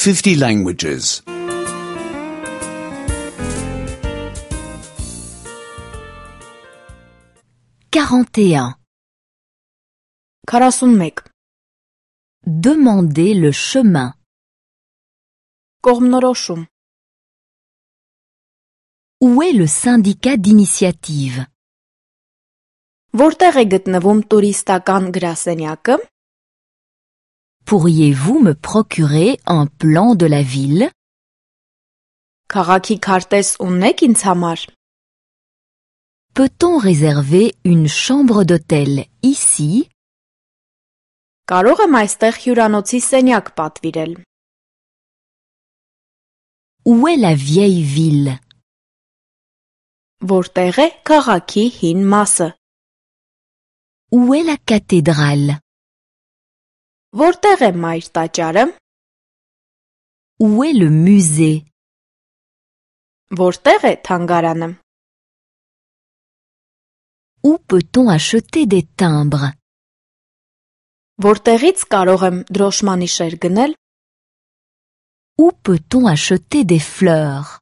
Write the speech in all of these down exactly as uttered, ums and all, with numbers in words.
fifty languages. quarante et un. քառասունմեկ. Demander le chemin. Կողմնորոշում. Où est le syndicat d'initiative? Որտեղ է գտնվում տուրիստական գրասենյակը? Pourriez-vous me procurer un plan de la ville? Քաղաքի քարտեզ ունեք ինձ համար? Peut-on réserver une chambre d'hôtel ici? Կարող եմ այստեղ հյուրանոցի սենյակ պատվիրել? Où est la vieille ville? Որտեղ է քաղաքի հին մասը? Où est la cathédrale? Որտեղ է մայր տաճարը? Où est le musée? Որտեղ է թանգարանը? Où peut-on acheter des timbres? Որտեղից կարող եմ դրոշմանիշեր գնել? Où peut-on acheter des fleurs?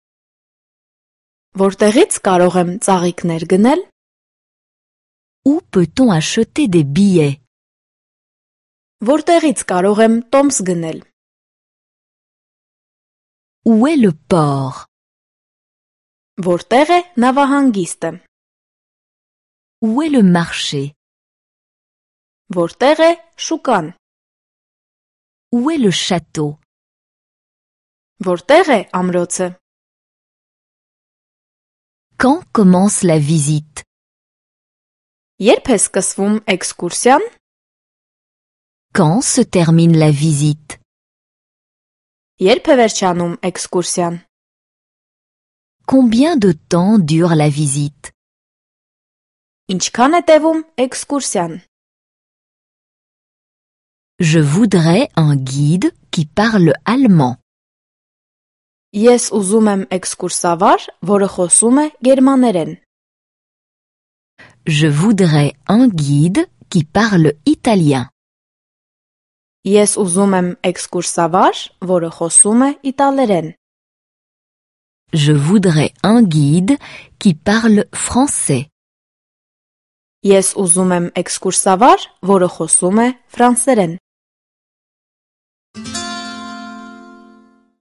Որտեղից կարող եմ ծաղիկներ գնել? Où peut-on acheter des billets? Որտեղից կարող եմ տոմս գնել? Où est le port? Որտեղ է նավահանգիստը? Où est le marché? Որտեղ է շուկան? Où est le château? Որտեղ է ամրոցը? Quand commence la visite? Երբ է սկսվում էքսկուրսիան? Quand se termine la visite? Երբ է վերջանում էքսկուրսիան? Combien de temps dure la visite? Ինչքան է տևում էքսկուրսիան? Je voudrais un guide qui parle allemand. Ես ուզում եմ էքսկուրսավար, որը խոսում է գերմաներեն. Je voudrais un guide qui parle italien. Ես ուզում եմ էքսկուրսավար, որը խոսում է իտալերեն. Je voudrais un guide qui parle français. Ես ուզում եմ էքսկուրսավար, որը խոսում է ֆրանսերեն.